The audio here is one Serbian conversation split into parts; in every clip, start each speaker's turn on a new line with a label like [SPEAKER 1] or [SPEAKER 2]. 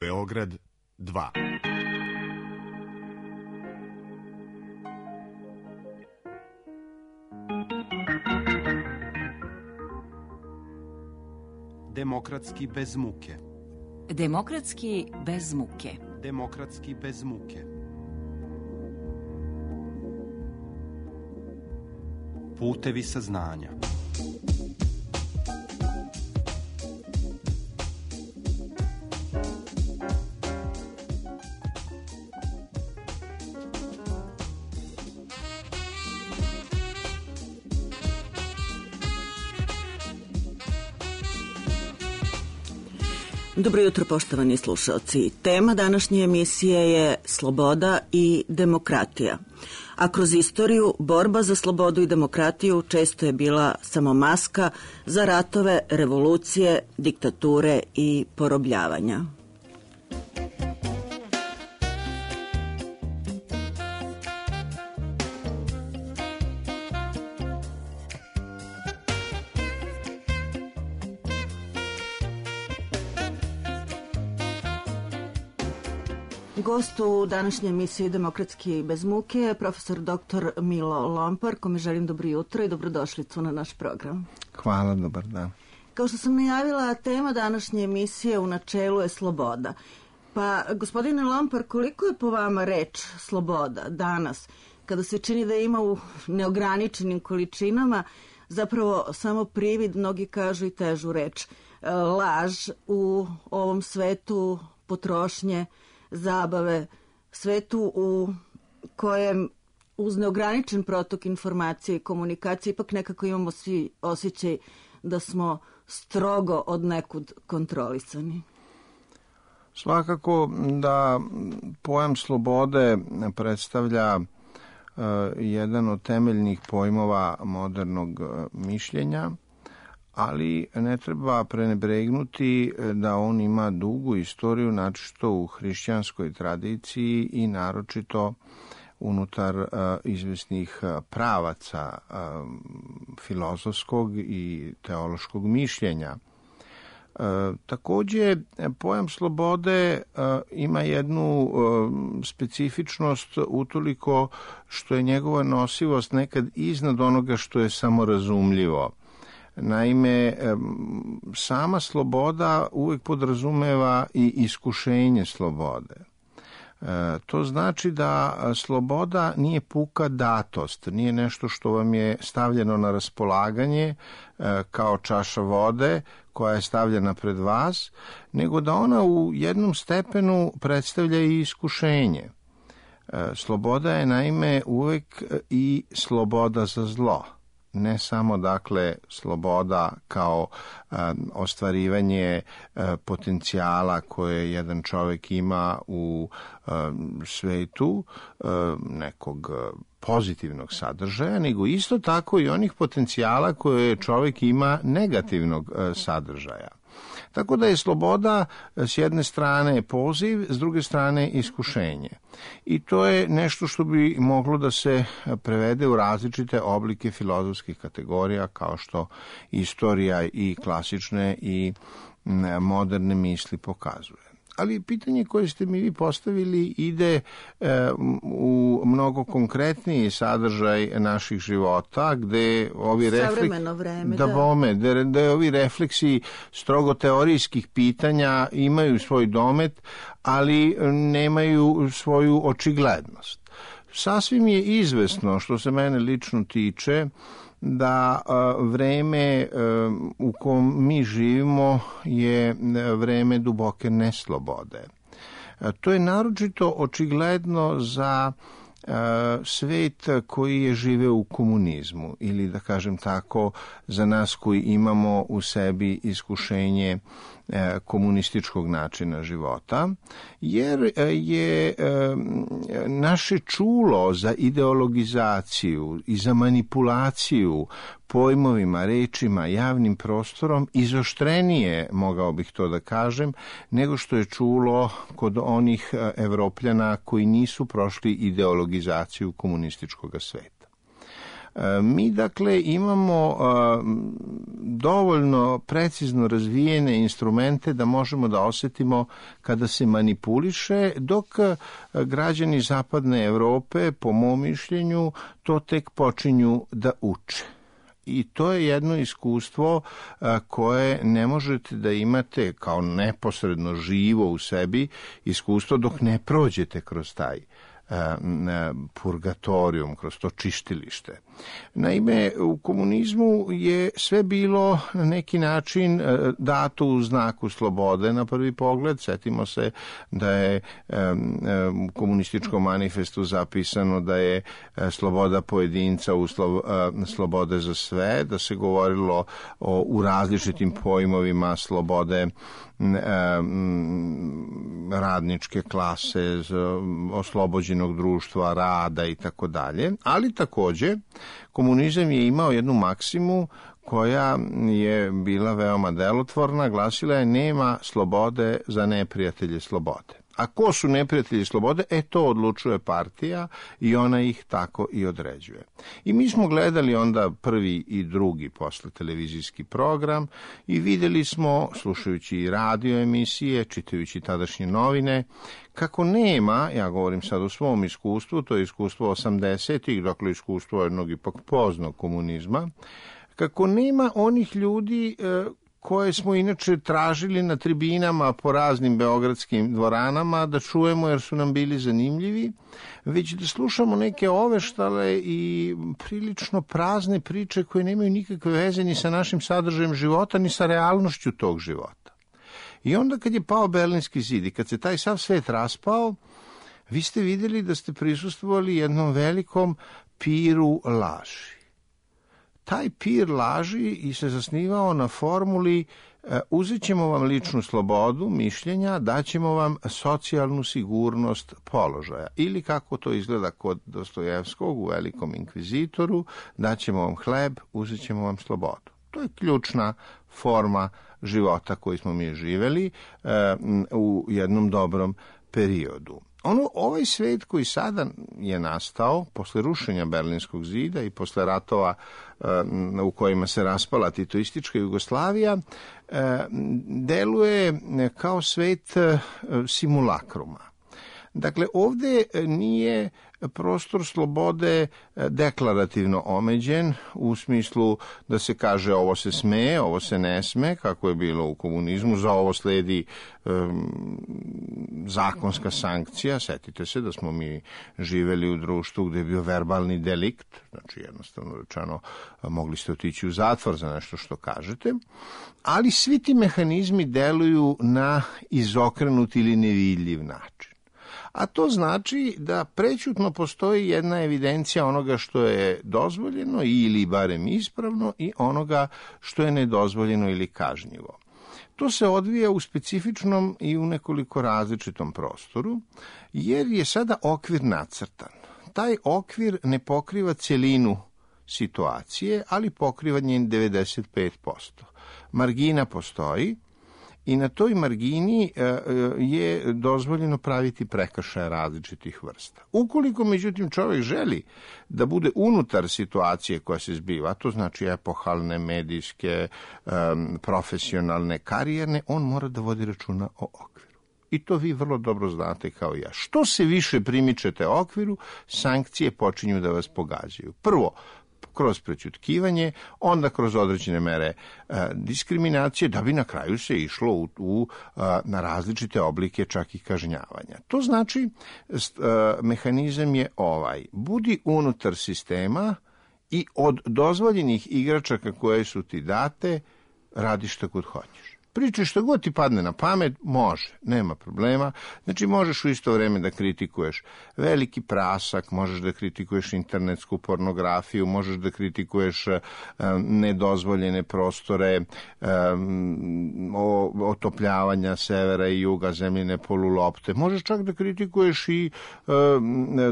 [SPEAKER 1] Beograd 2.
[SPEAKER 2] Demokratski bez muke.
[SPEAKER 3] Demokratski bez muke.
[SPEAKER 2] Demokratski bez muke. Putevi saznanja.
[SPEAKER 4] Dobro jutro, poštovani slušalci. Tema današnje emisije je sloboda i demokratija. A kroz istoriju, borba za slobodu i demokratiju često je bila samo maska za ratove, revolucije, diktature i porobljavanja. Gost u današnjoj emisiji Demokratski bez muke je profesor dr. Milo Lompar, kome želim dobro jutro i dobrodošlicu na naš program.
[SPEAKER 5] Hvala, dobar dan.
[SPEAKER 4] Kao što sam najavila, tema današnje emisije u načelu je sloboda. Pa, gospodine Lompar, koliko je po vama reč sloboda danas, kada se čini da ima u neograničenim količinama, zapravo samo privid, mnogi kažu i težu reč, laž u ovom svetu potrošnje, zabave, svetu u kojem uz neograničen protok informacije i komunikacije ipak nekako imamo svi osjećaj da smo strogo od nekud kontrolisani.
[SPEAKER 5] Svakako da pojam slobode predstavlja jedan od temeljnih pojmova modernog mišljenja, ali ne treba prenebregnuti da on ima dugu istoriju, naročito u hrišćanskoj tradiciji i naročito unutar izvesnih pravaca filozofskog i teološkog mišljenja. Takođe, pojam slobode ima jednu specifičnost utoliko što je njegova nosivost nekad iznad onoga što je samorazumljivo. Naime, sama sloboda uvek podrazumeva i iskušenje slobode. To znači da sloboda nije puka datost, nije nešto što vam je stavljeno na raspolaganje kao čaša vode koja je stavljena pred vas, nego da ona u jednom stepenu predstavlja i iskušenje. Sloboda je naime uvek i sloboda za zlo. Ne samo, dakle, sloboda kao ostvarivanje potencijala koje jedan čovjek ima u svetu, nekog pozitivnog sadržaja, nego isto tako i onih potencijala koje čovjek ima negativnog sadržaja. Tako da je sloboda s jedne strane poziv, s druge strane iskušenje. I to je nešto što bi moglo da se prevede u različite oblike filozofskih kategorija, kao što istorija i klasične i moderne misli pokazuje. Ali pitanje koje ste mi vi postavili ide u mnogo konkretniji sadržaj naših života, gde ovi ovi refleksi strogo teorijskih pitanja imaju svoj domet, ali nemaju svoju očiglednost. Sasvim je izvesno, što se mene lično tiče, da vreme u kom mi živimo je vreme duboke neslobode. To je naročito očigledno za svet koji je živeo u komunizmu ili, da kažem tako, za nas koji imamo u sebi iskušenje komunističkog načina života, jer je naše čulo za ideologizaciju i za manipulaciju pojmovima, rečima, javnim prostorom izoštrenije, mogao bih to da kažem, nego što je čulo kod onih Evropljana koji nisu prošli ideologizaciju komunističkog sveta. Mi dakle imamo dovoljno precizno razvijene instrumente da možemo da osetimo kada se manipuliše, dok građani zapadne Evrope, po mom mišljenju, to tek počinju da uče. I to je jedno iskustvo koje ne možete da imate kao neposredno živo u sebi iskustvo dok ne prođete kroz taj purgatorijum, kroz to čištilište. Naime, u komunizmu je sve bilo na neki način dato u znaku slobode na prvi pogled. Setimo se da je u komunističkom manifestu zapisano da je sloboda pojedinca uslov slobode za sve, da se govorilo u različitim pojmovima slobode radničke klase, oslobođenog društva, rada i tako dalje, ali takođe komunizam je imao jednu maksimu koja je bila veoma delotvorna, glasila je: nema slobode za neprijatelje slobode. A ko su neprijatelji slobode? To odlučuje partija i ona ih tako i određuje. I mi smo gledali onda prvi i drugi posle televizijski program i videli smo, slušajući i radio emisije, čitajući tadašnje novine, kako nema, ja govorim sad o svom iskustvu, to je iskustvo 80-ih, dakle iskustvo jednog ipak poznog komunizma, kako nema onih ljudi koje smo inače tražili na tribinama po raznim beogradskim dvoranama da čujemo jer su nam bili zanimljivi, već da slušamo neke oveštale i prilično prazne priče koje nemaju nikakve veze ni sa našim sadržajem života, ni sa realnošću tog života. I onda kad je pao Berlinski zid i kad se taj sav svet raspao, vi ste vidjeli da ste prisustvovali jednom velikom piru laži. Taj pir laži i se zasnivao na formuli: uzet ćemo vam ličnu slobodu mišljenja, daćemo vam socijalnu sigurnost položaja. Ili kako to izgleda kod Dostojevskog u Velikom inkvizitoru: daćemo vam hleb, uzet ćemo vam slobodu. To je ključna forma života koju smo mi živeli u jednom dobrom periodu. Ovaj svet koji sada je nastao posle rušenja Berlinskog zida i posle ratova u kojima se raspala titoistička Jugoslavija, deluje kao svet simulakruma. Dakle, ovde nije prostor slobode deklarativno omeđen u smislu da se kaže ovo se sme, ovo se ne sme, kako je bilo u komunizmu, za ovo sledi zakonska sankcija. Setite se da smo mi živeli u društvu gde je bio verbalni delikt, znači jednostavno rečeno mogli ste otići u zatvor za nešto što kažete, ali svi ti mehanizmi deluju na izokrenut ili nevidljiv način. A to znači da prećutno postoji jedna evidencija onoga što je dozvoljeno ili barem ispravno i onoga što je nedozvoljeno ili kažnjivo. To se odvija u specifičnom i u nekoliko različitom prostoru, jer je sada okvir nacrtan. Taj okvir ne pokriva celinu situacije, ali pokriva njen 95%. Margina postoji, i na toj margini je dozvoljeno praviti prekršaje različitih vrsta. Ukoliko, međutim, čovjek želi da bude unutar situacije koja se zbiva, to znači epohalne, medijske, profesionalne, karijerne, on mora da vodi računa o okviru. I to vi vrlo dobro znate kao ja. Što se više primičete okviru, sankcije počinju da vas pogađaju. Prvo, kroz prećutkivanje, onda kroz određene mere diskriminacije, da bi na kraju se išlo na različite oblike čak i kažnjavanja. To znači, mehanizam je ovaj: budi unutar sistema i od dozvoljenih igračaka koje su ti date, radi što god hoćeš. Pričaj što god ti padne na pamet, može, nema problema. Znači, možeš u isto vreme da kritikuješ veliki prasak, možeš da kritikuješ internetsku pornografiju, možeš da kritikuješ nedozvoljene prostore, otopljavanja severa i juga, zemljine polulopte. Možeš čak da kritikuješ i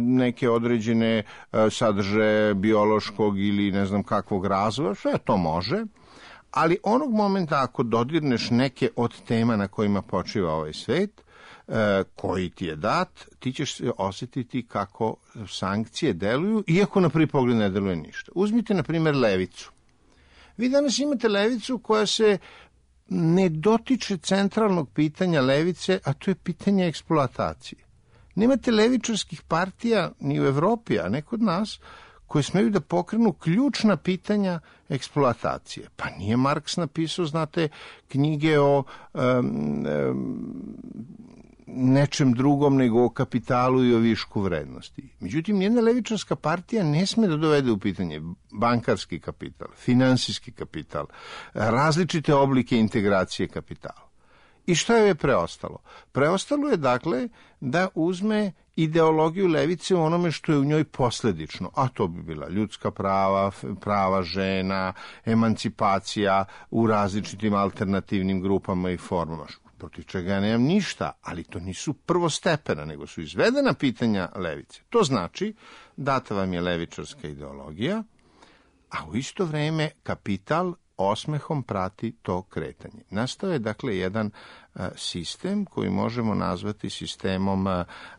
[SPEAKER 5] neke određene sadržaje biološkog ili ne znam kakvog razvoja, sve to može. Ali onog momenta ako dodirneš neke od tema na kojima počiva ovaj svet, koji ti je dat, ti ćeš se osjetiti kako sankcije deluju, iako na prvi pogled ne deluje ništa. Uzmite, na primjer, levicu. Vi danas imate levicu koja se ne dotiče centralnog pitanja levice, a to je pitanje eksploatacije. Nemate levičarskih partija ni u Evropi, a ne kod nas, koje smeju da pokrenu ključna pitanja eksploatacije. Pa nije Marks napisao, znate, knjige o nečem drugom nego o kapitalu i o višku vrednosti. Međutim, nijedna levičarska partija ne sme da dovede u pitanje bankarski kapital, finansijski kapital, različite oblike integracije kapitala. I šta je preostalo? Preostalo je, dakle, da uzme ideologiju levice u onome što je u njoj posledično, a to bi bila ljudska prava, prava žena, emancipacija u različitim alternativnim grupama i formama, protiv čega ja nemam ništa, ali to nisu prvostepena, nego su izvedena pitanja levice. To znači, data vam je levičarska ideologija, a u isto vreme kapital osmehom prati to kretanje. Nastao je, dakle, jedan sistem koji možemo nazvati sistemom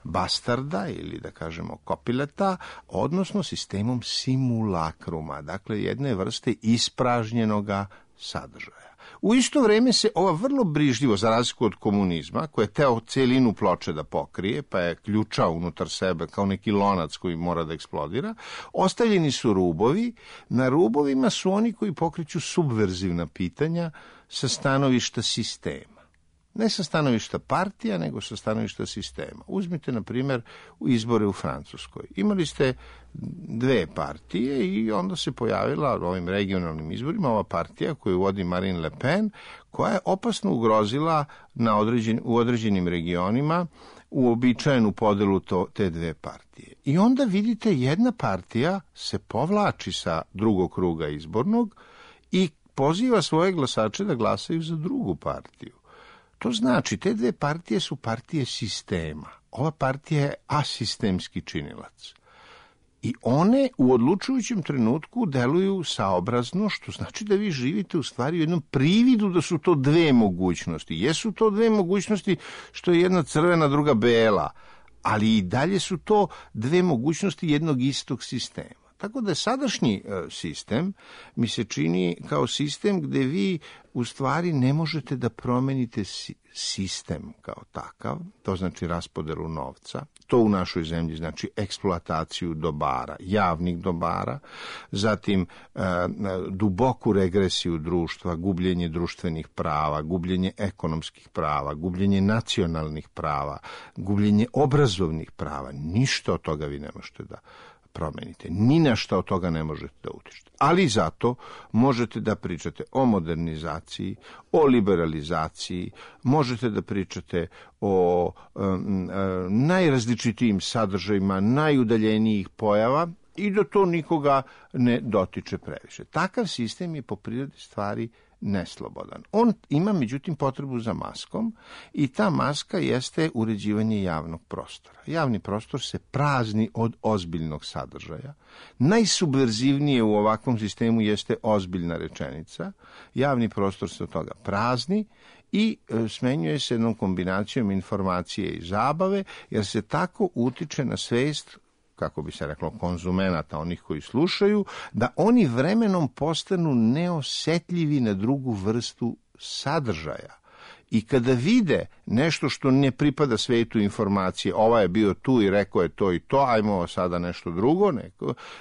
[SPEAKER 5] bastarda ili, da kažemo, kopileta, odnosno sistemom simulakruma, dakle, jedne vrste ispražnjenoga sadržaja. U isto vreme se ova vrlo brižljivo, za razliku od komunizma, koja je teo celinu ploče da pokrije, pa je ključao unutar sebe kao neki lonac koji mora da eksplodira, ostavljeni su rubovi. Na rubovima su oni koji pokreću subverzivna pitanja sa stanovišta sistema. Ne sa stanovišta partija, nego sa stanovišta sistema. Uzmite, na primjer, izbore u Francuskoj. Imali ste dve partije i onda se pojavila u ovim regionalnim izborima ova partija koju vodi Marine Le Pen, koja je opasno ugrozila u određenim regionima uobičajenu podelu te dve partije. I onda vidite, jedna partija se povlači sa drugog kruga izbornog i poziva svoje glasače da glasaju za drugu partiju. To znači, te dve partije su partije sistema. Ova partija je asistemski činilac. I one u odlučujućem trenutku deluju saobrazno, što znači da vi živite u stvari u jednom prividu da su to dve mogućnosti. Jesu to dve mogućnosti što je jedna crvena, druga bela, ali i dalje su to dve mogućnosti jednog istog sistema. Tako da sadašnji sistem mi se čini kao sistem gde vi u stvari ne možete da promenite sistem kao takav, to znači raspodelu novca, to u našoj zemlji znači eksploataciju dobara, javnih dobara, zatim duboku regresiju društva, gubljenje društvenih prava, gubljenje ekonomskih prava, gubljenje nacionalnih prava, gubljenje obrazovnih prava. Ništa od toga vi ne možete da promenite. Ni na šta od toga ne možete da utičete. Ali zato možete da pričate o modernizaciji, o liberalizaciji, možete da pričate o najrazličitijim sadržajima, najudaljenijih pojava i da to nikoga ne dotiče previše. Takav sistem je po prirodi stvari neslobodan. On ima, međutim, potrebu za maskom i ta maska jeste uređivanje javnog prostora. Javni prostor se prazni od ozbiljnog sadržaja. Najsubverzivnije u ovakvom sistemu jeste ozbiljna rečenica. Javni prostor se od toga prazni i smenjuje se jednom kombinacijom informacije i zabave, jer se tako utiče na svest, kako bi se reklo, konzumenata, onih koji slušaju, da oni vremenom postanu neosetljivi na drugu vrstu sadržaja. I kada vide nešto što ne pripada svetu informacije, ova je bio tu i rekao je to i to, ajmo sada nešto drugo,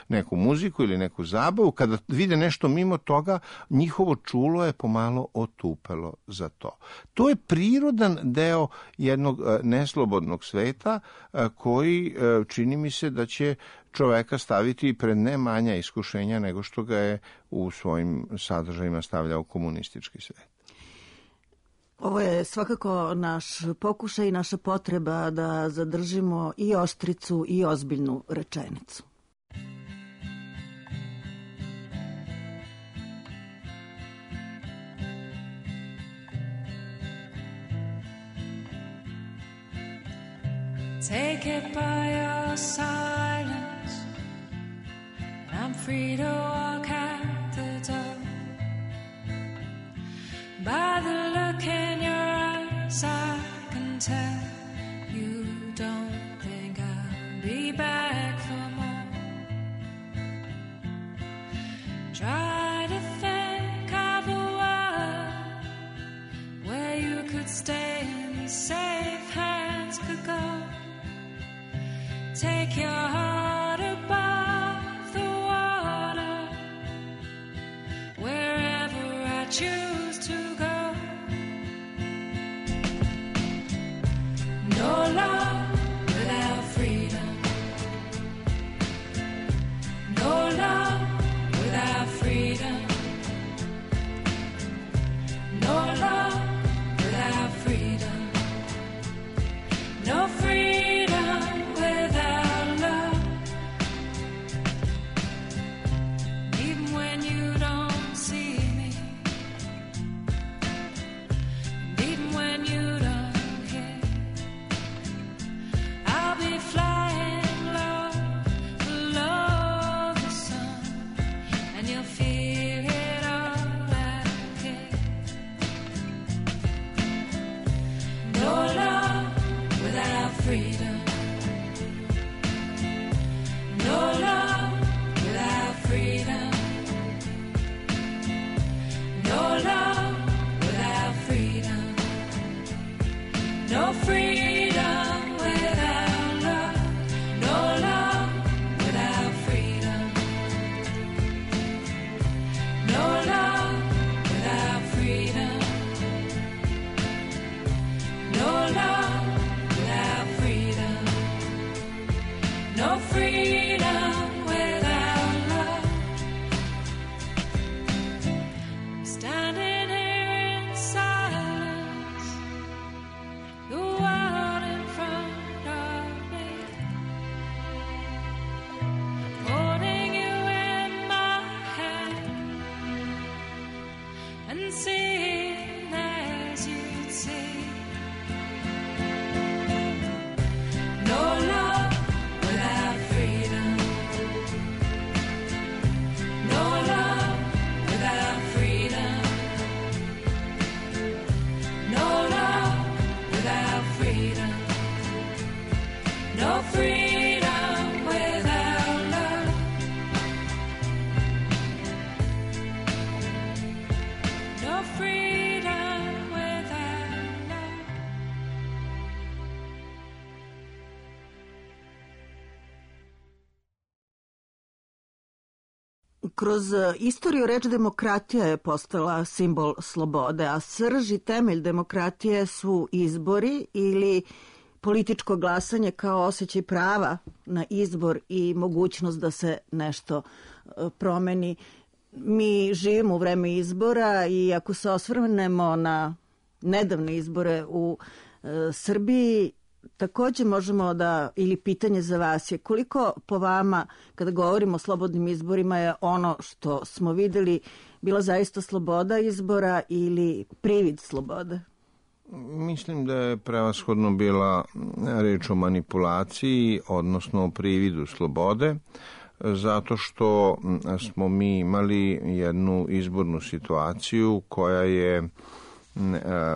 [SPEAKER 5] neku muziku ili neku zabavu, kada vide nešto mimo toga, njihovo čulo je pomalo otupelo za to. To je prirodan deo jednog neslobodnog sveta koji čini mi se da će čoveka staviti pred ne manja iskušenja nego što ga je u svojim sadržajima stavljao komunistički svet.
[SPEAKER 4] Ovo je svakako naš pokušaj i naša potreba da zadržimo i oštricu i ozbiljnu rečenicu.
[SPEAKER 1] Take it by your silence, and I'm free to walk out the door. By the look in your eyes, I can tell go. Take your heart above the water, wherever I choose to go. No love without freedom. No love without freedom. No love without freedom. No freedom without love. Even when you don't see me, and even when you don't hear, I'll be flying low below the sun, and you'll feel it all out here. No love without freedom. No love without freedom. No love without freedom. No freedom without love. No love without freedom. No love without freedom. No love without freedom. No freedom without love. I'm standing here in silence, the world in front of me, holding you in my hand and seeing as you'd see. No love without freedom. No love without freedom. No love without freedom. No freedom without love. No freedom without love.
[SPEAKER 4] Kroz istoriju reč demokratija je postala simbol slobode, a srž i temelj demokratije su izbori ili političko glasanje kao osjećaj prava na izbor i mogućnost da se nešto promeni. Mi živimo u vreme izbora i ako se osvrnemo na nedavne izbore u Srbiji, takođe možemo da, ili pitanje za vas je koliko po vama, kada govorimo o slobodnim izborima, je ono što smo videli bila zaista sloboda izbora ili privid slobode?
[SPEAKER 5] Mislim da je prevashodno bila reč o manipulaciji, odnosno o prividu slobode, zato što smo mi imali jednu izbornu situaciju koja je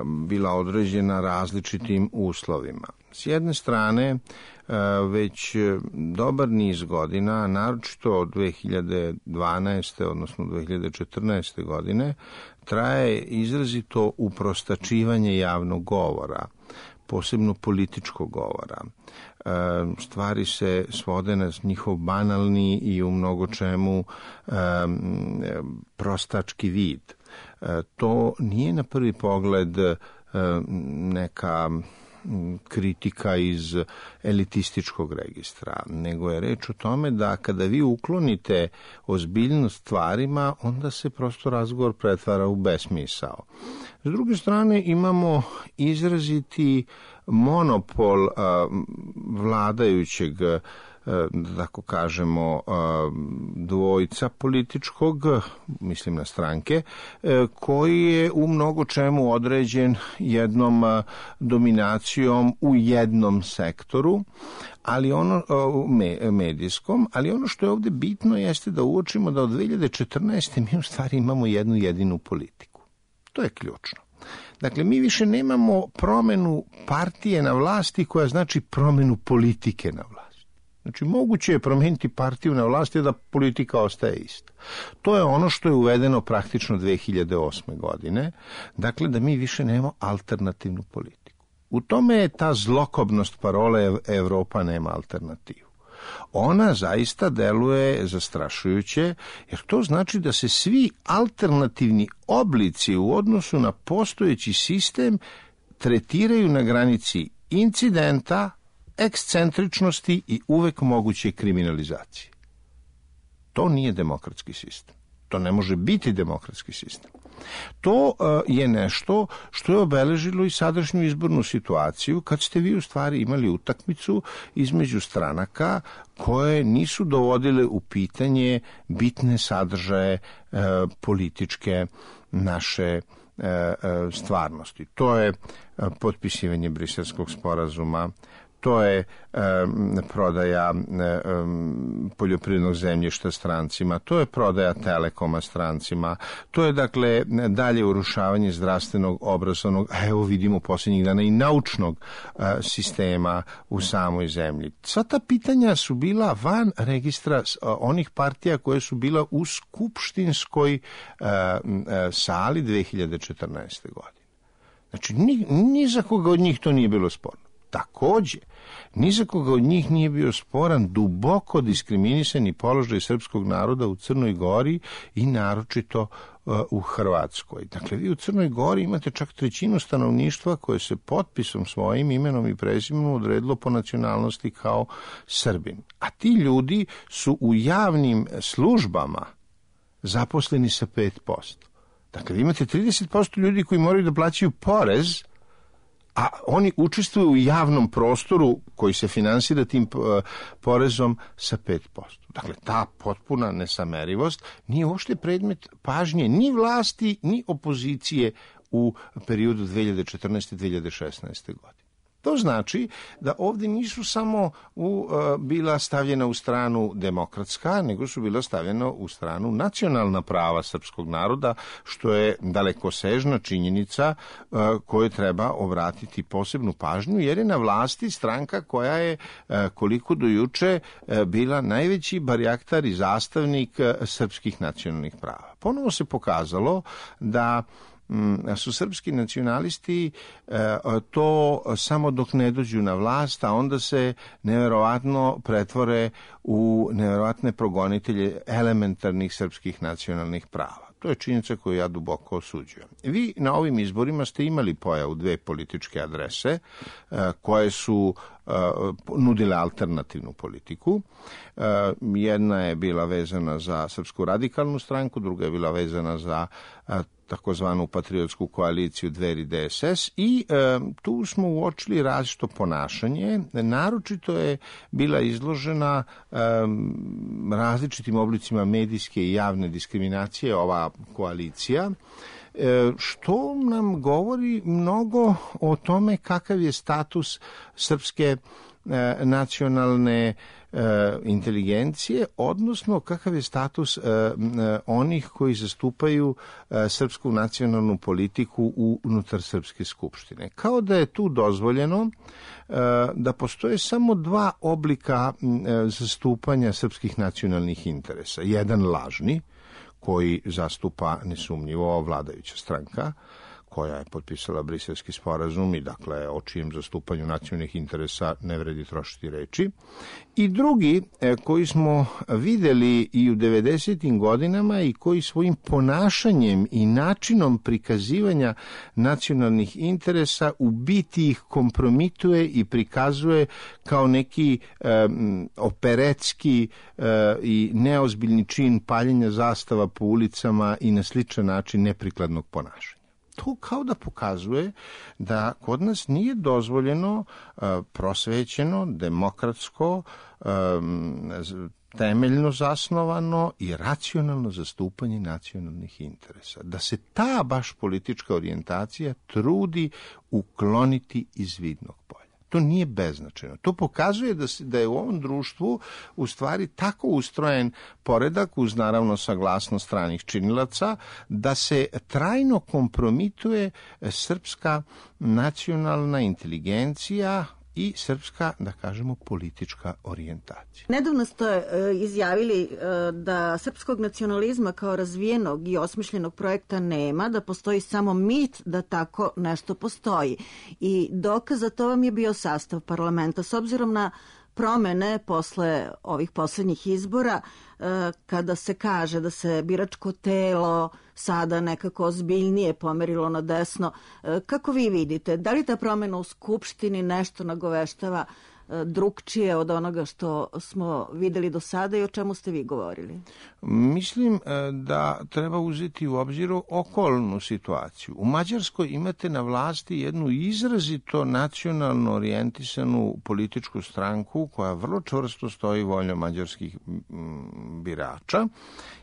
[SPEAKER 5] bila određena različitim uslovima. S jedne strane, već dobar niz godina, naročito od 2012. odnosno 2014. godine, traje izrazito uprostačivanje javnog govora, posebno političkog govora. Stvari se svode na njihov banalni i u mnogo čemu prostački vid. To nije na prvi pogled neka kritika iz elitističkog registra, nego je reč o tome da kada vi uklonite ozbiljnost stvarima, onda se prosto razgovor pretvara u besmisao. S druge strane, imamo izraziti monopol vladajućeg, da tako kažemo, dvojca političkog, mislim na stranke, koji je u mnogo čemu određen jednom dominacijom u jednom sektoru, ali ono medijskom, ali ono što je ovde bitno jeste da uočimo da od 2014. mi u stvari imamo jednu jedinu politiku. To je ključno. Dakle, mi više nemamo promenu partije na vlasti koja znači promenu politike na vlasti. Znači, moguće je promeniti partiju na vlasti da politika ostaje ista. To je ono što je uvedeno praktično 2008. godine. Dakle, da mi više nemamo alternativnu politiku. U tome je ta zlokobnost parole Evropa nema alternativu. Ona zaista deluje zastrašujuće, jer to znači da se svi alternativni oblici u odnosu na postojeći sistem tretiraju na granici incidenta, ekscentričnosti i uvek moguće kriminalizacije. To nije demokratski sistem. To ne može biti demokratski sistem. To je nešto što je obeležilo i sadašnju izbornu situaciju, kad ste vi u stvari imali utakmicu između stranaka koje nisu dovodile u pitanje bitne sadržaje političke naše stvarnosti. To je potpisivanje Briselskog sporazuma, to je prodaja poljoprivrednog zemljišta strancima, to je prodaja Telekoma strancima, to je dakle dalje urušavanje zdravstvenog, obrazovnog, a evo vidimo posljednjih dana i naučnog sistema u samoj zemlji. Sva ta pitanja su bila van registra onih partija koje su bila u skupštinskoj sali 2014. godine. Znači, ni za koga od njih to nije bilo sporno. Takođe, ni za koga od njih nije bio sporan duboko diskriminisani položaj srpskog naroda u Crnoj Gori i naročito u Hrvatskoj. Dakle, vi u Crnoj Gori imate čak trećinu stanovništva koje se potpisom svojim imenom i prezimenom odredilo po nacionalnosti kao Srbin. A ti ljudi su u javnim službama zaposleni sa 5%. Dakle, vi imate 30% ljudi koji moraju da plaćaju porez, a oni učestvuju u javnom prostoru koji se finansira tim porezom sa 5%. Dakle, ta potpuna nesamerivost nije uopšte predmet pažnje ni vlasti, ni opozicije u periodu 2014-2016. godine. To znači da ovdje nisu samo bila stavljena u stranu demokratska, nego su bila stavljena u stranu nacionalna prava srpskog naroda, što je dalekosežna činjenica koju treba obratiti posebnu pažnju, jer je na vlasti stranka koja je koliko do juče bila najveći barjaktar i zastavnik srpskih nacionalnih prava. Ponovo se pokazalo da su srpski nacionalisti to samo dok ne dođu na vlast, a onda se neverovatno pretvore u neverovatne progonitelje elementarnih srpskih nacionalnih prava. To je činjenica koju ja duboko osuđujem. Vi na ovim izborima ste imali pojavu dve političke adrese koje su nudile alternativnu politiku. Jedna je bila vezana za Srpsku radikalnu stranku, druga je bila vezana za takozvanu patriotsku koaliciju Dveri DSS i tu smo uočili različito ponašanje. Naročito je bila izložena različitim oblicima medijske i javne diskriminacije ova koalicija, što nam govori mnogo o tome kakav je status srpske nacionalne inteligencije, odnosno kakav je status onih koji zastupaju srpsku nacionalnu politiku unutar Srpske skupštine. Kao da je tu dozvoljeno da postoje samo dva oblika zastupanja srpskih nacionalnih interesa. Jedan lažni, koji zastupa nesumnjivo vladajuća stranka, koja je potpisala Briselski sporazum i dakle o čijem zastupanju nacionalnih interesa ne vredi trošiti reči. I drugi koji smo videli i u 90. godinama i koji svojim ponašanjem i načinom prikazivanja nacionalnih interesa u biti ih kompromituje i prikazuje kao neki operetski i neozbiljni čin paljenja zastava po ulicama i na sličan način neprikladnog ponašanja. To kao da pokazuje da kod nas nije dozvoljeno prosvećeno, demokratsko, temeljno zasnovano i racionalno zastupanje nacionalnih interesa. Da se ta baš politička orijentacija trudi ukloniti iz vidnog polja. To nije beznačajno. To pokazuje da je u ovom društvu u stvari tako ustrojen poredak, uz naravno saglasnost stranih činilaca, da se trajno kompromituje srpska nacionalna inteligencija i srpska, da kažemo, politička orijentacija.
[SPEAKER 4] Nedavno ste izjavili da srpskog nacionalizma kao razvijenog i osmišljenog projekta nema, da postoji samo mit da tako nešto postoji. I dokaz za to vam je bio sastav parlamenta. S obzirom na promene posle ovih poslednjih izbora, kada se kaže da se biračko telo sada nekako ozbiljnije pomerilo na desno, kako vi vidite? Da li ta promena u Skupštini nešto nagoveštava drugčije od onoga što smo videli do sada i o čemu ste vi govorili?
[SPEAKER 5] Mislim da treba uzeti u obzir okolnu situaciju. U Mađarskoj imate na vlasti jednu izrazito nacionalno orijentisanu političku stranku koja vrlo čvrsto stoji voljom mađarskih birača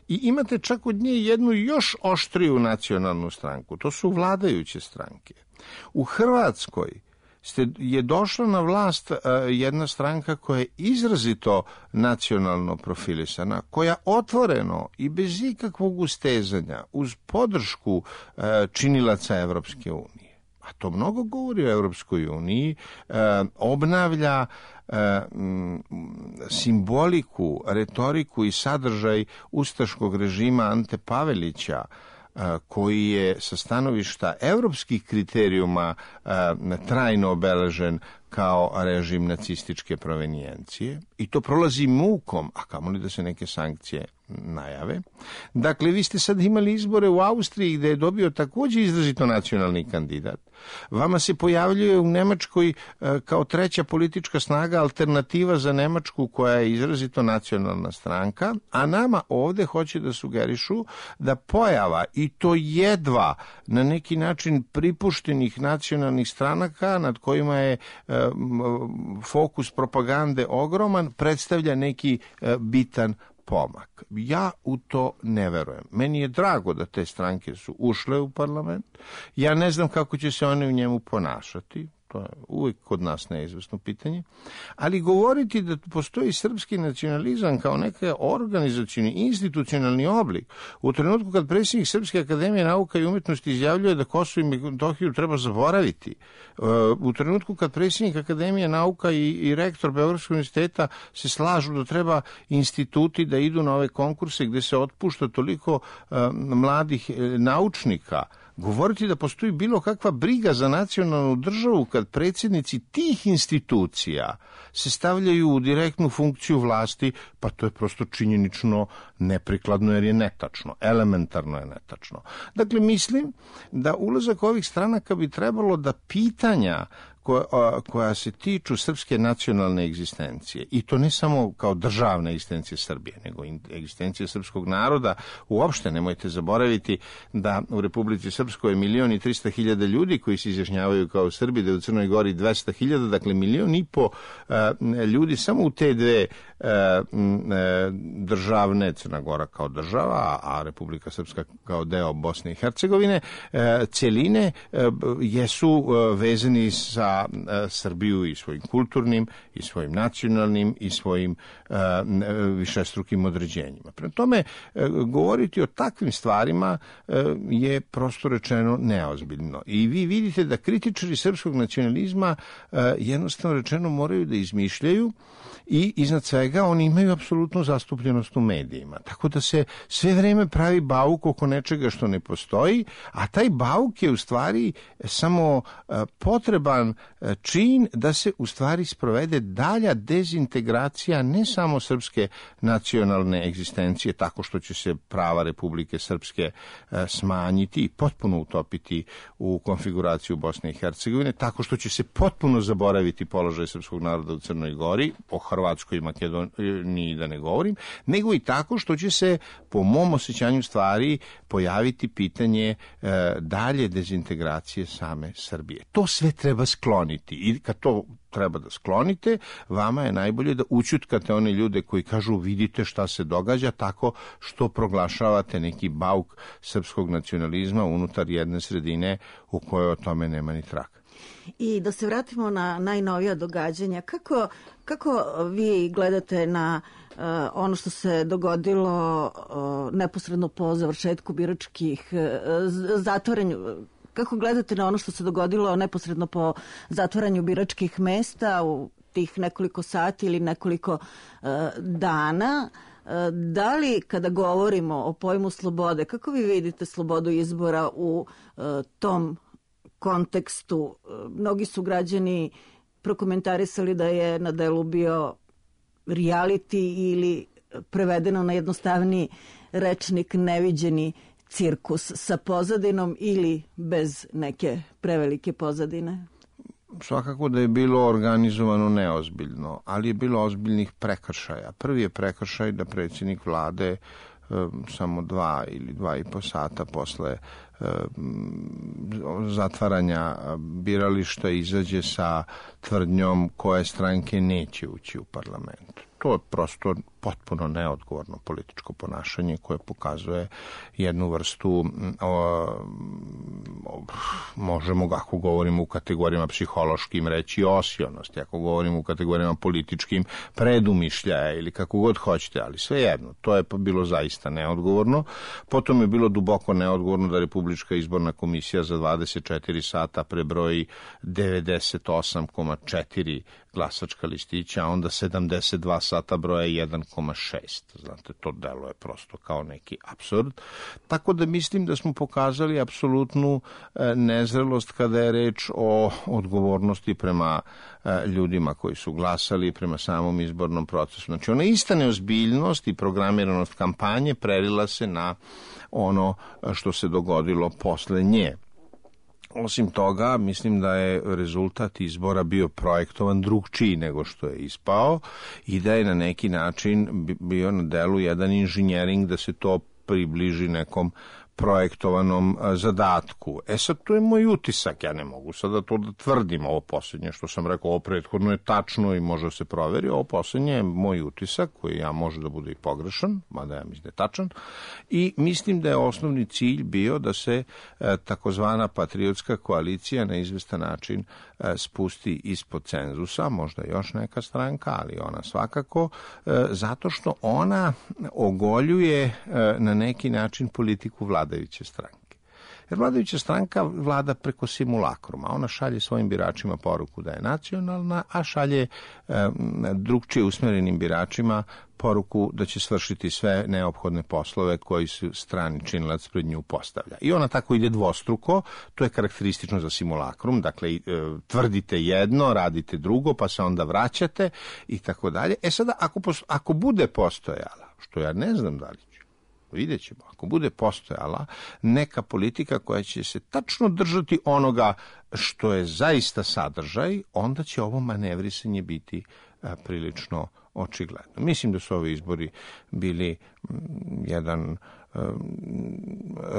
[SPEAKER 5] i imate čak od nje jednu još oštriju nacionalnu stranku. To su vladajuće stranke. U Hrvatskoj je došla na vlast jedna stranka koja je izrazito nacionalno profilisana, koja otvoreno i bez ikakvog ustezanja, uz podršku činilaca Evropske unije, a to mnogo govori o Evropskoj uniji, obnavlja simboliku, retoriku i sadržaj ustaškog režima Ante Pavelića, koji je sa stanovišta evropskih kriterijuma trajno obeležen kao režim nacističke provenijencije i to prolazi mukom, a kamoli da se neke sankcije najave. Dakle, vi ste sad imali izbore u Austriji gde je dobio takođe izrazito nacionalni kandidat. Vama se pojavljuje u Nemačkoj kao treća politička snaga alternativa za Nemačku koja je izrazito nacionalna stranka, a nama ovde hoće da sugerišu da pojava i to jedva na neki način pripuštenih nacionalnih stranaka nad kojima je fokus propagande ogroman, predstavlja neki bitan pomak. Ja u to ne verujem. Meni je drago da te stranke su ušle u parlament. Ja ne znam kako će se one u njemu ponašati. To je uvijek kod nas neizvesno pitanje. Ali govoriti da postoji srpski nacionalizam kao neka organizacioni, institucionalni oblik, u trenutku kad predsjednik Srpske akademije nauka i umetnosti izjavljuje da Kosovo i Metohiju treba zaboraviti, u trenutku kad predsjednik Akademije nauka i rektor Beogradskog univerziteta se slažu da treba instituti da idu na ove konkurse gde se otpušta toliko mladih naučnika, govoriti da postoji bilo kakva briga za nacionalnu državu kad predsjednici tih institucija se stavljaju u direktnu funkciju vlasti, pa to je prosto činjenično neprikladno jer je netačno, elementarno je netačno. Dakle, mislim da ulazak ovih stranaka bi trebalo da pitanja koja se tiču srpske nacionalne egzistencije, i to ne samo kao državne egzistencije Srbije, nego egzistencije srpskog naroda. Uopšte nemojte zaboraviti da u Republici Srpskoj je 1.300.000 ljudi koji se izjašnjavaju kao Srbi, da je u Crnoj Gori 200.000, dakle 1.500.000 ljudi samo u te dve državne, Crna Gora kao država, a Republika Srpska kao deo Bosne i Hercegovine, celine jesu vezani sa Srbiju i svojim kulturnim, i svojim nacionalnim, i svojim višestrukim određenjima. Prema tome, govoriti o takvim stvarima je prosto rečeno neozbiljno. I vi vidite da kritičari srpskog nacionalizma jednostavno rečeno moraju da izmišljaju i iznad svega oni imaju apsolutnu zastupljenost u medijima. Tako da se sve vreme pravi bauk oko nečega što ne postoji, a taj bauk je u stvari samo potreban čin da se u stvari sprovede dalja dezintegracija ne samo srpske nacionalne egzistencije tako što će se prava Republike Srpske smanjiti i potpuno utopiti u konfiguraciju Bosne i Hercegovine, tako što će se potpuno zaboraviti položaj srpskog naroda u Crnoj Gori, o Hrvatskoj i Makedoniji da ne govorim, nego i tako što će se, po mom osjećanju stvari, pojaviti pitanje dalje dezintegracije same Srbije. To sve treba skloniti i kad to treba da sklonite, vama je najbolje da ućutkate one ljude koji kažu vidite šta se događa tako što proglašavate neki bauk srpskog nacionalizma unutar jedne sredine u kojoj o tome nema ni traka.
[SPEAKER 4] I da se vratimo na najnovija događanja, kako vi gledate na ono što se dogodilo neposredno po završetku biračkih zatvorenju, Kako gledate na ono što se dogodilo neposredno po zatvaranju biračkih mesta u tih nekoliko sati ili nekoliko dana? Da li kada govorimo o pojmu slobode, kako vi vidite slobodu izbora u tom kontekstu? Mnogi su građani prokomentarisali da je na delu bio reality ili prevedeno na jednostavniji rečnik neviđeni cirkus sa pozadinom ili bez neke prevelike pozadine?
[SPEAKER 5] Svakako da je bilo organizovano neozbiljno, ali je bilo ozbiljnih prekršaja. Prvi je prekršaj da predsjednik vlade samo 2 ili 2,5 sata posle zatvaranja birališta izađe sa tvrdnjom koje stranke neće ući u parlament. To je prosto potpuno neodgovorno političko ponašanje koje pokazuje jednu vrstu, možemo ako govorimo u kategorijama psihološkim reći osionosti, ako govorimo u kategorijama političkim predumišljaja ili kako god hoćete, ali svejedno, to je bilo zaista neodgovorno. Potom je bilo duboko neodgovorno da Republička izborna komisija za 24 sata prebroji 98,4 glasačka listića, a onda 72 sata broja 1,6. Znate, to deluje prosto kao neki apsurd. Tako da mislim da smo pokazali apsolutnu nezrelost kada je reč o odgovornosti prema ljudima koji su glasali, prema samom izbornom procesu. Znači, ona ista neozbiljnost i programiranost kampanje prelila se na ono što se dogodilo posle nje. Osim toga, mislim da je rezultat izbora bio projektovan drugčiji nego što je ispao i da je na neki način bio na delu jedan inženjering da se to približi nekom projektovanom zadatku. Sad, to je moj utisak, ja ne mogu sada to da tvrdim, ovo posljednje što sam rekao, ovo prethodno je tačno i može se proveri, ovo posljednje je moj utisak, koji ja može da bude i pogrešan, mada ja mislim da je tačan, i mislim da je osnovni cilj bio da se takozvana patriotska koalicija na izvestan način spusti ispod cenzusa, možda još neka stranka, ali ona svakako, zato što ona ogoljuje na neki način politiku vladajuće stranke. Jer vladajuća stranka vlada preko simulakruma. Ona šalje svojim biračima poruku da je nacionalna, a šalje drugčije usmjerenim biračima poruku da će svršiti sve neophodne poslove koji su strani činilac pred nju postavlja. I ona tako ide dvostruko, to je karakteristično za simulakrum, dakle tvrdite jedno, radite drugo, pa se onda vraćate i tako dalje. Sada, ako bude postojala, što ja ne znam da li će, vidjet ćemo, ako bude postojala neka politika koja će se tačno držati onoga što je zaista sadržaj, onda će ovo manevrisanje biti prilično očigledno. Mislim da su ovi izbori bili jedan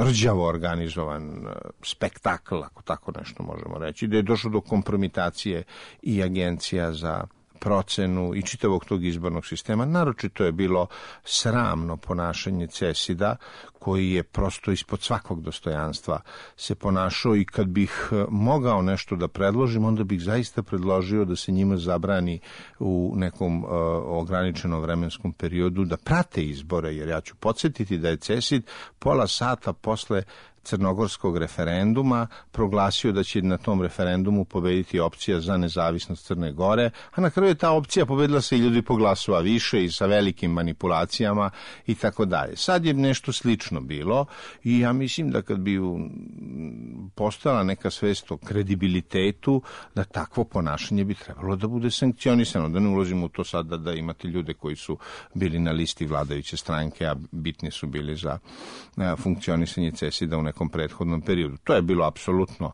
[SPEAKER 5] rđavo organizovan spektakl, ako tako nešto možemo reći, da je došlo do kompromitacije i agencija za procenu i čitavog tog izbornog sistema. Naročito je bilo sramno ponašanje CESID-a, koji je prosto ispod svakog dostojanstva se ponašao, i kad bih mogao nešto da predložim, onda bih zaista predložio da se njima zabrani u nekom ograničenom vremenskom periodu da prate izbore, jer ja ću podsjetiti da je CESID pola sata posle crnogorskog referenduma proglasio da će na tom referendumu pobediti opcija za nezavisnost Crne Gore, a na kraju je ta opcija pobedila se i ljudi po glasu, a više i sa velikim manipulacijama i tako dalje. Sad je nešto slično bilo i ja mislim da kad bi postojala neka svest o kredibilitetu, da takvo ponašanje bi trebalo da bude sankcionisano, da ne ulazimo u to sada da imate ljude koji su bili na listi vladajuće stranke, a bitni su bili za funkcionisanje CESID-a u nekom prethodnom periodu. To je bilo apsolutno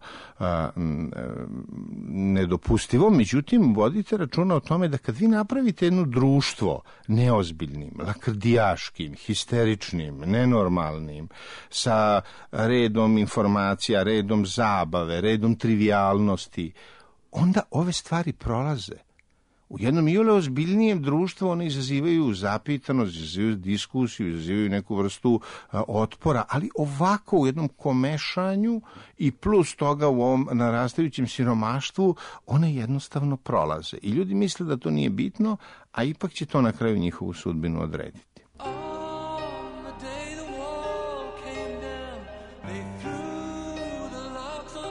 [SPEAKER 5] nedopustivo, međutim, vodite računa o tome da kad vi napravite jedno društvo neozbiljnim, lakrdijaškim, histeričnim, nenormalnim, sa redom informacija, redom zabave, redom trivijalnosti, onda ove stvari prolaze. U jednom iole ozbiljnijem društvu one izazivaju zapitanost, izazivaju diskusiju, izazivaju neku vrstu otpora, ali ovako u jednom komešanju i plus toga u ovom narastajućem siromaštvu one jednostavno prolaze. I ljudi misle da to nije bitno, a ipak će to na kraju njihovu sudbinu odrediti.
[SPEAKER 1] On the day the wall came down, they threw the logs on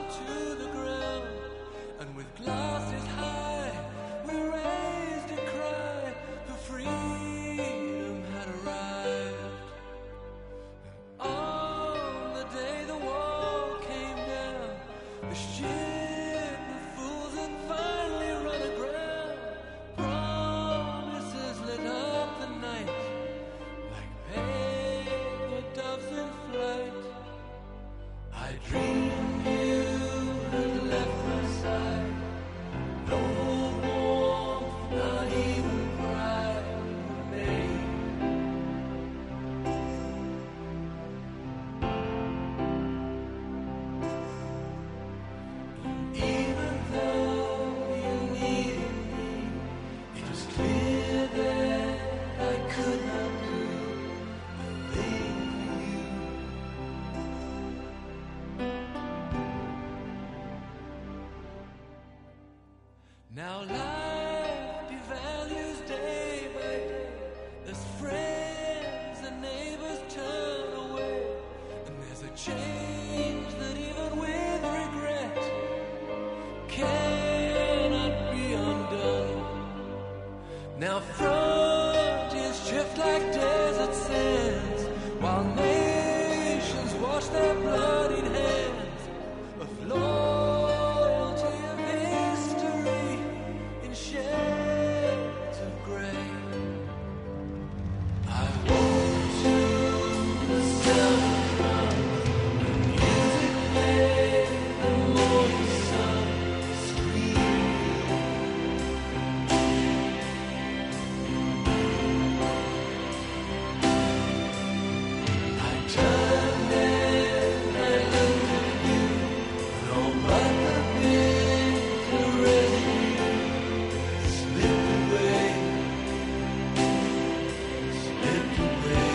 [SPEAKER 6] change that even with regret cannot be undone. Now frontiers drift like desert sands, while nations wash their bloodied hands of loyalty of history in shades of gray. I want to self-run, the music made the morning sun scream. I turned and I looked at you, no but the bitter residue slipped away, slipped away.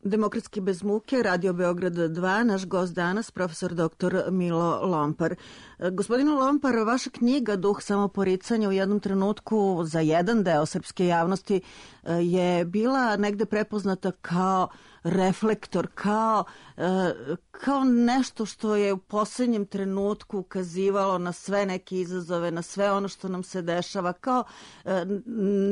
[SPEAKER 4] Demokratski bez muke, Radio Beograd 2, naš gost danas, profesor dr. Milo Lompar. Gospodine Lompar, vaša knjiga Duh samoporicanja u jednom trenutku za jedan deo srpske javnosti je bila negde prepoznata kao reflektor, kao nešto što je u posljednjem trenutku ukazivalo na sve neke izazove, na sve ono što nam se dešava, kao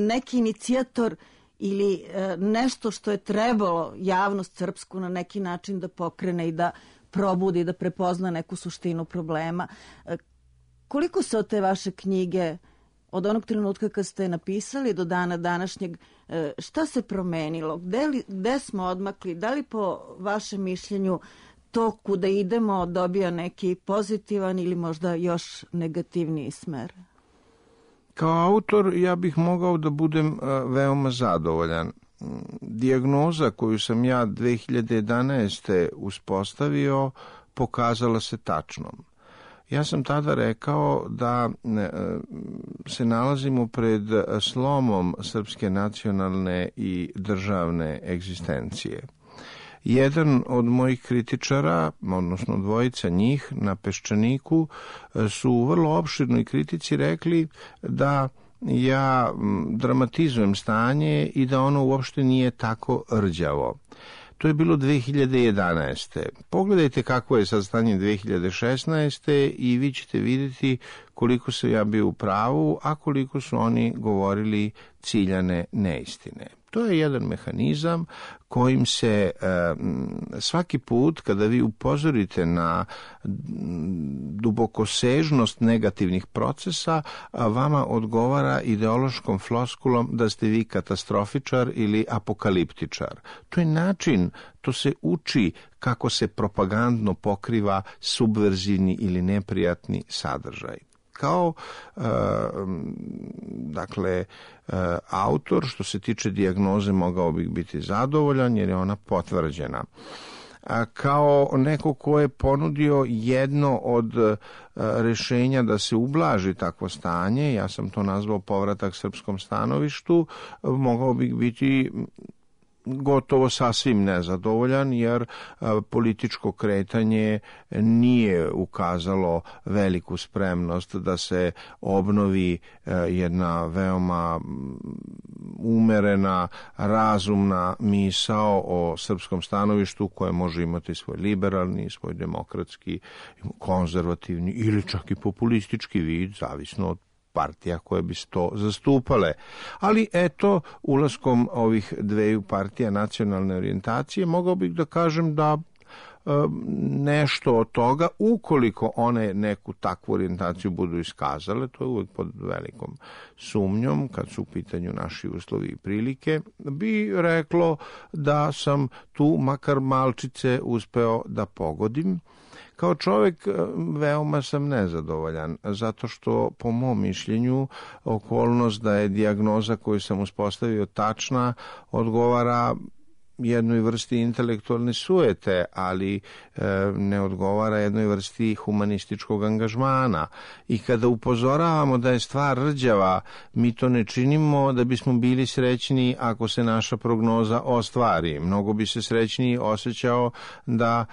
[SPEAKER 4] neki inicijator ili nešto što je trebalo javnost srpsku na neki način da pokrene i da probudi, da prepozna neku suštinu problema. Koliko se od te vaše knjige, od onog trenutka kad ste je napisali do dana današnjeg, šta se promenilo? Gde smo odmakli? Da li po vašem mišljenju to kuda idemo dobija neki pozitivan ili možda još negativniji smer?
[SPEAKER 5] Kao autor ja bih mogao da budem veoma zadovoljan. Dijagnoza koju sam ja 2011. uspostavio pokazala se tačnom. Ja sam tada rekao da se nalazimo pred slomom srpske nacionalne i državne egzistencije. Jedan od mojih kritičara, odnosno dvojica njih na Peščaniku, su u vrlo opširnoj kritici rekli da ja dramatizujem stanje i da ono uopšte nije tako rđavo. To je bilo 2011. Pogledajte kako je sad stanje 2016. i vi ćete vidjeti koliko sam ja bio u pravu, a koliko su oni govorili ciljane neistine. To je jedan mehanizam kojim se svaki put kada vi upozorite na dubokosežnost negativnih procesa, vama odgovara ideološkom floskulom da ste vi katastrofičar ili apokaliptičar. To je način, to se uči kako se propagandno pokriva subverzivni ili neprijatni sadržaj. Kao autor što se tiče dijagnoze mogao bih biti zadovoljan jer je ona potvrđena. kao neko ko je ponudio jedno od rešenja da se ublaži takvo stanje, ja sam to nazvao povratak srpskom stanovištu, mogao bih biti gotovo sasvim nezadovoljan, jer političko kretanje nije ukazalo veliku spremnost da se obnovi jedna veoma umerena, razumna misao o srpskom stanovištu koje može imati svoj liberalni, svoj demokratski, konzervativni ili čak i populistički vid, zavisno od partija koje bi to zastupale. Ali eto, ulaskom ovih dveju partija nacionalne orijentacije, mogao bih da kažem da nešto od toga, ukoliko one neku takvu orijentaciju budu iskazale, to je uvek pod velikom sumnjom, kad su u pitanju naši uslovi i prilike, bi reklo da sam tu makar malčice uspeo da pogodim. Kao čovjek veoma sam nezadovoljan, zato što po mom mišljenju okolnost da je dijagnoza koju sam uspostavio tačna odgovara jednoj vrsti intelektualne sujete, ali ne odgovara jednoj vrsti humanističkog angažmana. I kada upozoravamo da je stvar rđava, mi to ne činimo da bismo bili srećni ako se naša prognoza ostvari. Mnogo bi se srećniji osjećao da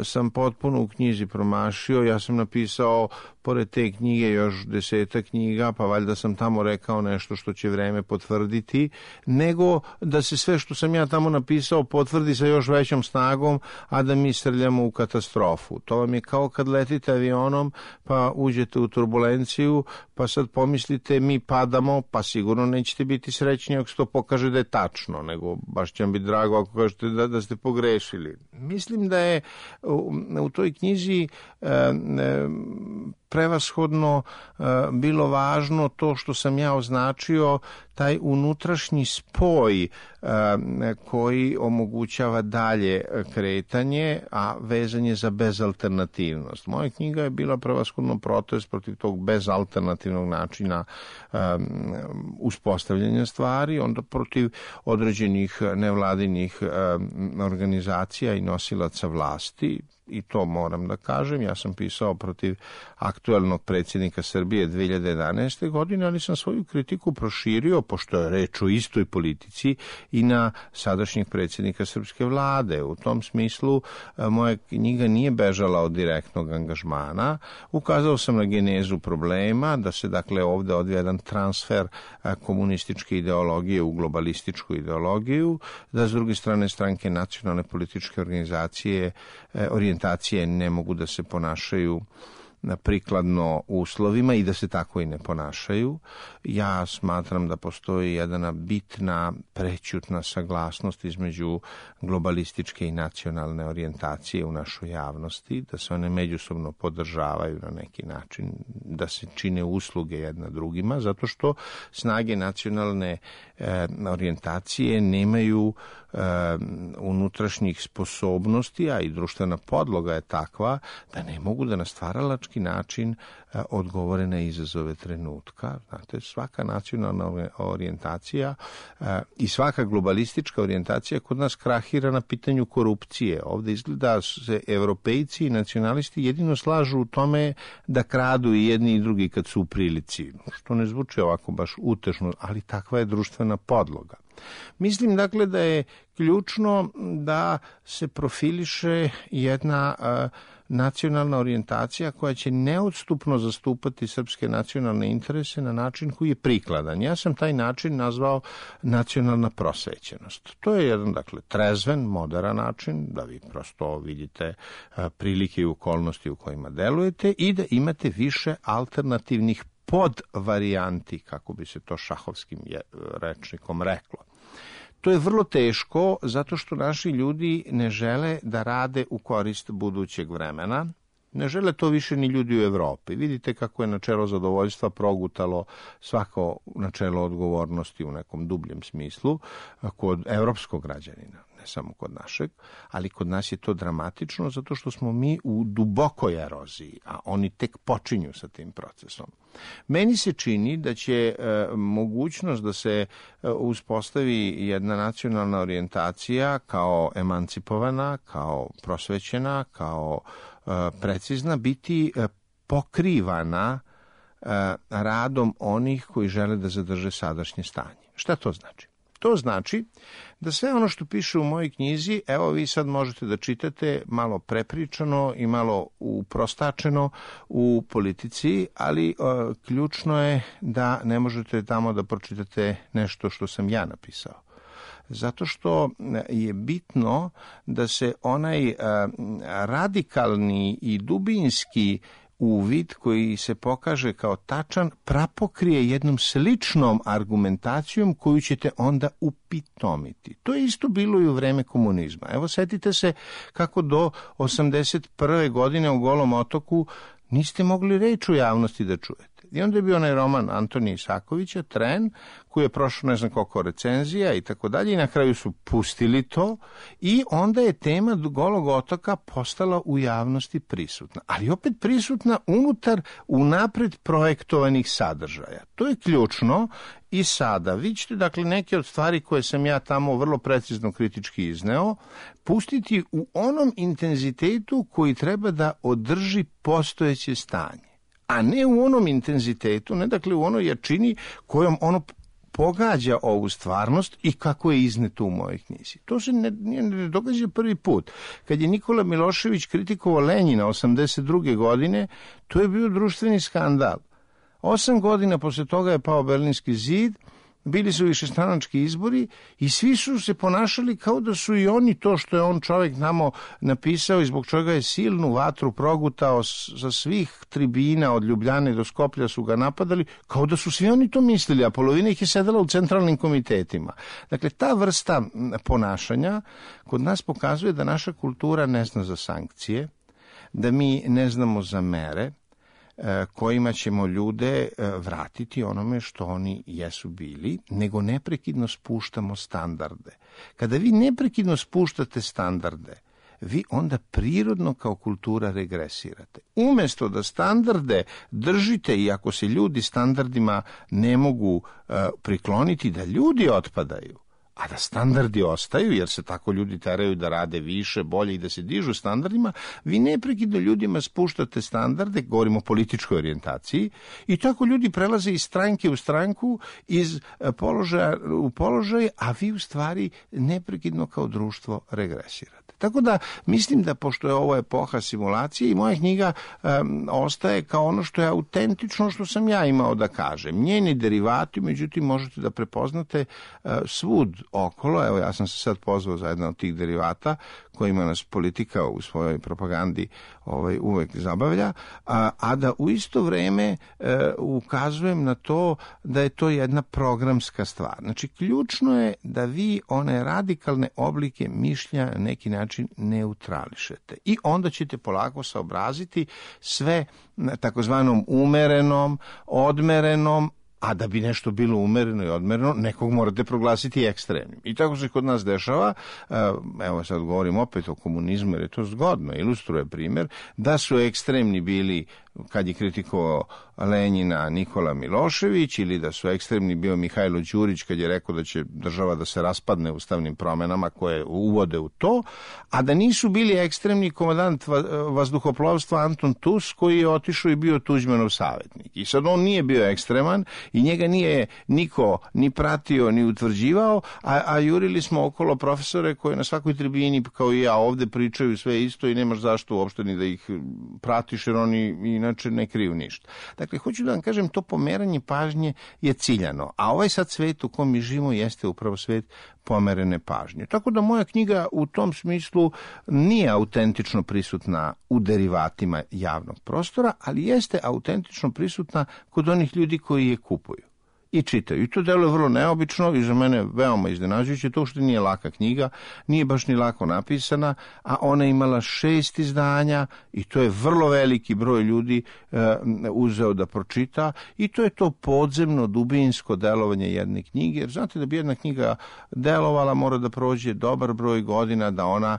[SPEAKER 5] sam potpuno u knjizi promašio. Ja sam napisao pored te knjige još 10 knjiga, pa valjda sam tamo rekao nešto što će vreme potvrditi, nego da se sve što sam ja tamo napisao potvrdi sa još većom snagom, a da mi srljamo u katastrofu. To vam je kao kad letite avionom, pa uđete u turbulenciju, pa sad pomislite mi padamo, pa sigurno nećete biti srećni ako se to pokaže da je tačno, nego baš će vam biti drago ako kažete da ste pogrešili. Mislim da je u toj knjizi prevashodno bilo važno to što sam ja označio, taj unutrašnji spoj koji omogućava dalje kretanje, a vezan je za bezalternativnost. Moja knjiga je bila prevashodno protest protiv tog bezalternativnog načina uspostavljanja stvari, onda protiv određenih nevladinih organizacija i nosilaca vlasti. I to moram da kažem, ja sam pisao protiv aktuelnog predsjednika Srbije 2011. godine, ali sam svoju kritiku proširio, pošto je reč o istoj politici, i na sadašnjeg predsjednika srpske vlade. U tom smislu moja knjiga nije bežala od direktnog angažmana. Ukazao sam na genezu problema, da se dakle ovdje odvija jedan transfer komunističke ideologije u globalističku ideologiju, da s druge strane stranke nacionalne političke organizacije orijentacije ne mogu da se ponašaju prikladno uslovima i da se tako i ne ponašaju. Ja smatram da postoji jedna bitna prećutna saglasnost između globalističke i nacionalne orijentacije u našoj javnosti, da se one međusobno podržavaju na neki način, da se čine usluge jedna drugima, zato što snage nacionalne orijentacije nemaju unutrašnjih sposobnosti, a i društvena podloga je takva da ne mogu da na stvaralački način odgovore na izazove trenutka. Znate, svaka nacionalna orijentacija i svaka globalistička orijentacija kod nas krahira na pitanju korupcije. Ovdje izgleda se evropejci i nacionalisti jedino slažu u tome da kradu i jedni i drugi kad su u prilici, što ne zvuči ovako baš utešno, ali takva je društvena podloga. Mislim dakle da je ključno da se profiliše jedna nacionalna orijentacija koja će neodstupno zastupati srpske nacionalne interese na način koji je prikladan. Ja sam taj način nazvao nacionalna prosvećenost. To je jedan, dakle, trezven, moderan način, da vi prosto vidite prilike i okolnosti u kojima delujete i da imate više alternativnih podvarijanti, kako bi se to šahovskim rečnikom reklo. To je vrlo teško zato što naši ljudi ne žele da rade u korist budućeg vremena. Ne žele to više ni ljudi u Evropi. Vidite kako je načelo zadovoljstva progutalo svako načelo odgovornosti u nekom dubljem smislu kod evropskog građanina. ne samo kod našeg, ali kod nas je to dramatično zato što smo mi u dubokoj eroziji, a oni tek počinju sa tim procesom. Meni se čini da će mogućnost da se uspostavi jedna nacionalna orijentacija kao emancipovana, kao prosvećena, kao precizna, biti pokrivana radom onih koji žele da zadrže sadašnje stanje. Šta to znači? To znači da sve ono što piše u mojoj knjizi, evo vi sad možete da čitate malo prepričano i malo uprostačeno u Politici, ali ključno je da ne možete tamo da pročitate nešto što sam ja napisao. Zato što je bitno da se onaj radikalni i dubinski uvid koji se pokaže kao tačan prapokrije jednom sličnom argumentacijom koju ćete onda upitomiti. To je isto bilo i u vreme komunizma. Evo, setite se kako do 81. godine u Golom otoku niste mogli reč u javnosti da čujete. I onda je bio onaj roman Antonija Isakovića, Tren, koji je prošao ne znam koliko recenzija i tako dalje, i na kraju su pustili to i onda je tema Golog otoka postala u javnosti prisutna. Ali opet prisutna unutar unapred projektovanih sadržaja. To je ključno i sada. Vi ćete, dakle, neke od stvari koje sam ja tamo vrlo precizno kritički izneo, pustiti u onom intenzitetu koji treba da održi postojeće stanje, a ne u onom intenzitetu, ne dakle u onoj jačini kojom ono pogađa ovu stvarnost i kako je izneto u mojoj knjizi. To se ne događa prvi put. Kad je Nikola Milošević kritikovao Lenjina 82. godine, to je bio društveni skandal. 8 godina posle toga je pao Berlinski zid, bili su višestranački izbori i svi su se ponašali kao da su i oni to što je on čovjek tamo napisao i zbog čega je silnu vatru progutao sa svih tribina od Ljubljane do Skoplja su ga napadali, kao da su svi oni to mislili, a polovina ih je sedela u centralnim komitetima. Dakle, ta vrsta ponašanja kod nas pokazuje da naša kultura ne zna za sankcije, da mi ne znamo za mere kojima ćemo ljude vratiti onome što oni jesu bili, nego neprekidno spuštamo standarde. Kada vi neprekidno spuštate standarde, vi onda prirodno kao kultura regresirate. Umesto da standarde držite i ako se ljudi standardima ne mogu prikloniti, da ljudi otpadaju, a da standardi ostaju, jer se tako ljudi teraju da rade više, bolje i da se dižu standardima, vi neprekidno ljudima spuštate standarde, govorimo o političkoj orijentaciji, i tako ljudi prelaze iz stranke u stranku, iz položaja u položaj, a vi u stvari neprekidno kao društvo regresirate. Tako da mislim da pošto je ovo epoha simulacije i moja knjiga ostaje kao ono što je autentično, što sam ja imao da kažem. Njeni derivati, međutim, možete da prepoznate svud okolo. Evo, ja sam se sad pozvao za jedan od tih derivata kojima nas politika u svojoj propagandi uvek zabavlja, a da u isto vreme ukazujem na to da je to jedna programska stvar. Znači, ključno je da vi one radikalne oblike mišlja na neki način neutrališete i onda ćete polako saobraziti sve takozvanom umerenom, odmerenom, a da bi nešto bilo umereno i odmereno, nekog morate proglasiti ekstremnim. I tako se kod nas dešava, evo sad govorim opet o komunizmu jer je to zgodno, ilustruje primjer, da su ekstremni bili kad je kritikovao Lenjina Nikola Milošević, ili da su ekstremni bio Mihajlo Đurić kad je rekao da će država da se raspadne ustavnim promenama koje uvode u to, a da nisu bili ekstremni komandant vazduhoplovstva Anton Tus koji je otišao i bio Tuđmanov savjetnik. I sad on nije bio ekstreman i njega nije niko ni pratio ni utvrđivao, a jurili smo okolo profesore koji na svakoj tribini kao i ja ovde pričaju sve isto i nemaš zašto uopšte ni da ih pratiš jer oni inače ne kriju ništa. Dakle, hoću da vam kažem, to pomeranje pažnje je ciljano, a ovaj sad svet u kom mi živimo jeste upravo svet pomerene pažnje. Tako da moja knjiga u tom smislu nije autentično prisutna u derivatima javnog prostora, ali jeste autentično prisutna kod onih ljudi koji je kupuju. i čitaju. I to deluje vrlo neobično i za mene veoma iznenađujuće, to što nije laka knjiga, nije baš ni lako napisana, a ona je imala 6 izdanja i to je vrlo veliki broj ljudi uzeo da pročita i to je to podzemno, dubinsko delovanje jedne knjige, jer znate da bi jedna knjiga delovala mora da prođe dobar broj godina da ona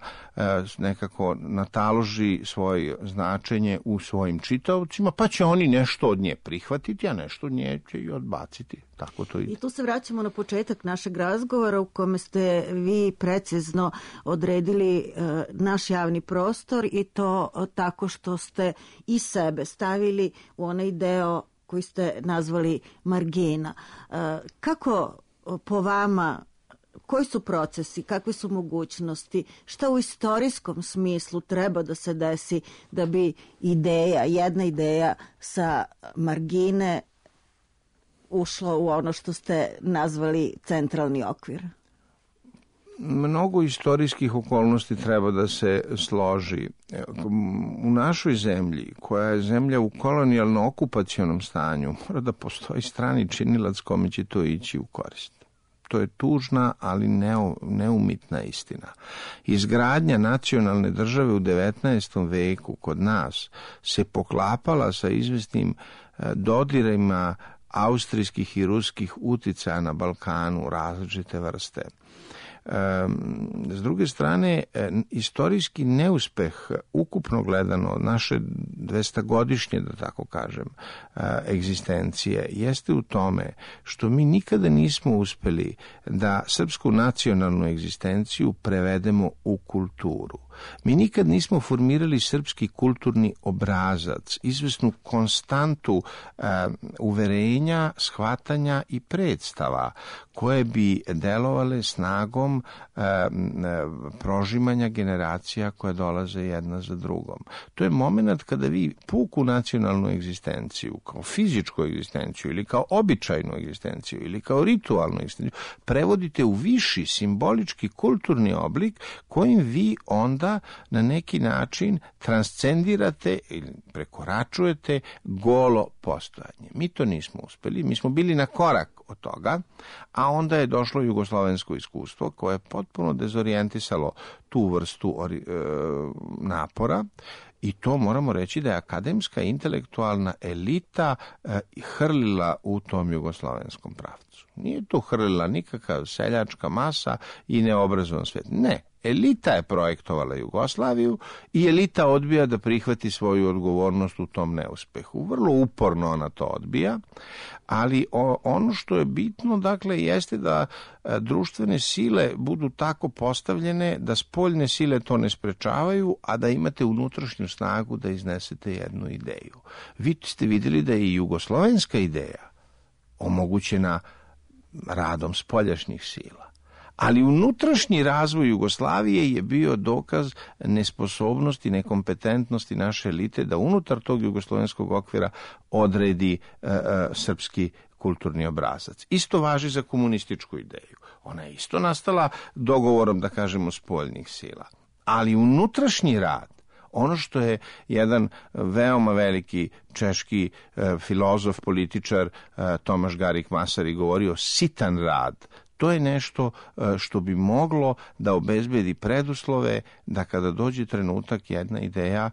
[SPEAKER 5] nekako nataloži svoje značenje u svojim čitaocima, pa će oni nešto od nje prihvatiti, a nešto od nje će i odbaciti. Tako to ide.
[SPEAKER 4] I tu se vraćamo na početak našeg razgovora u kome ste vi precizno odredili naš javni prostor i to tako što ste i sebe stavili u onaj deo koji ste nazvali margina. Kako po vama, koji su procesi, kakve su mogućnosti, šta u istorijskom smislu treba da se desi da bi jedna ideja sa margine ušlo u ono što ste nazvali centralni okvir?
[SPEAKER 5] Mnogo istorijskih okolnosti treba da se složi. U našoj zemlji, koja je zemlja u kolonijalno-okupacionom stanju, mora da postoji strani činilac kome će to ići u korist. To je tužna, ali neumitna istina. Izgradnja nacionalne države u 19. veku kod nas se poklapala sa izvesnim dodirima austrijskih i ruskih uticaja na Balkanu različite vrste. S druge strane, istorijski neuspeh, ukupno gledano, naše 200-godišnje, da tako kažem, egzistencije, jeste u tome što mi nikada nismo uspeli da srpsku nacionalnu egzistenciju prevedemo u kulturu. Mi nikad nismo formirali srpski kulturni obrazac, izvesnu konstantu uverenja, shvatanja i predstava koje bi delovale snagom prožimanja generacija koje dolaze jedna za drugom. To je moment kada vi puku nacionalnu egzistenciju, kao fizičku egzistenciju ili kao običajnu egzistenciju ili kao ritualnu egzistenciju, prevodite u viši simbolički kulturni oblik kojim vi onda na neki način transcendirate ili prekoračujete golo postojanje. Mi to nismo uspeli, mi smo bili na korak od toga, a onda je došlo jugoslovensko iskustvo koje je potpuno dezorijentisalo tu vrstu napora i to moramo reći da je akademska intelektualna elita hrlila u tom jugoslovenskom pravcu. Nije tu hrlila nikakav seljačka masa i neobrazovan svet. Ne. Elita je projektovala Jugoslaviju i elita odbija da prihvati svoju odgovornost u tom neuspehu. Vrlo uporno ona to odbija, ali ono što je bitno, dakle, jeste da društvene sile budu tako postavljene da spoljne sile to ne sprečavaju, a da imate unutrašnju snagu da iznesete jednu ideju. Vi ste vidjeli da je i jugoslovenska ideja omogućena radom spoljašnjih sila. Ali unutrašnji razvoj Jugoslavije je bio dokaz nesposobnosti, nekompetentnosti naše elite da unutar tog jugoslovenskog okvira odredi srpski kulturni obrazac. Isto važi za komunističku ideju. Ona je isto nastala dogovorom, da kažemo, spoljnih sila. Ali unutrašnji rad, ono što je jedan veoma veliki češki filozof, političar Tomaš Garik Masari govorio, sitan rad, to je nešto što bi moglo da obezbedi preduslove da kada dođe trenutak jedna ideja,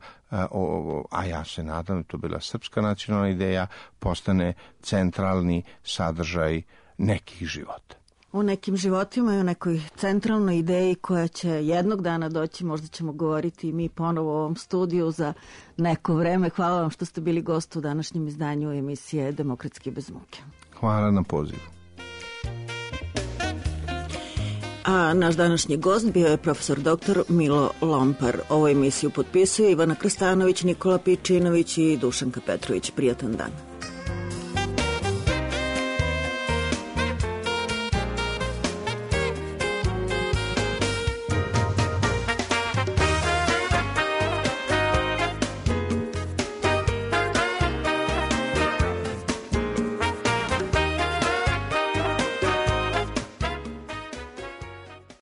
[SPEAKER 5] a ja se nadam da to bila srpska nacionalna ideja, postane centralni sadržaj nekih života.
[SPEAKER 4] O nekim životima i o nekoj centralnoj ideji koja će jednog dana doći, možda ćemo govoriti i mi ponovo u ovom studiju za neko vreme. Hvala vam što ste bili gost u današnjem izdanju emisije Demokratski bez muke.
[SPEAKER 5] Hvala na pozivu.
[SPEAKER 4] A naš današnji gost bio je profesor dr. Milo Lompar. Ovu emisiju potpisuje Ivana Krstanović, Nikola Pičinović i Dušanka Petrović. Prijatan dan.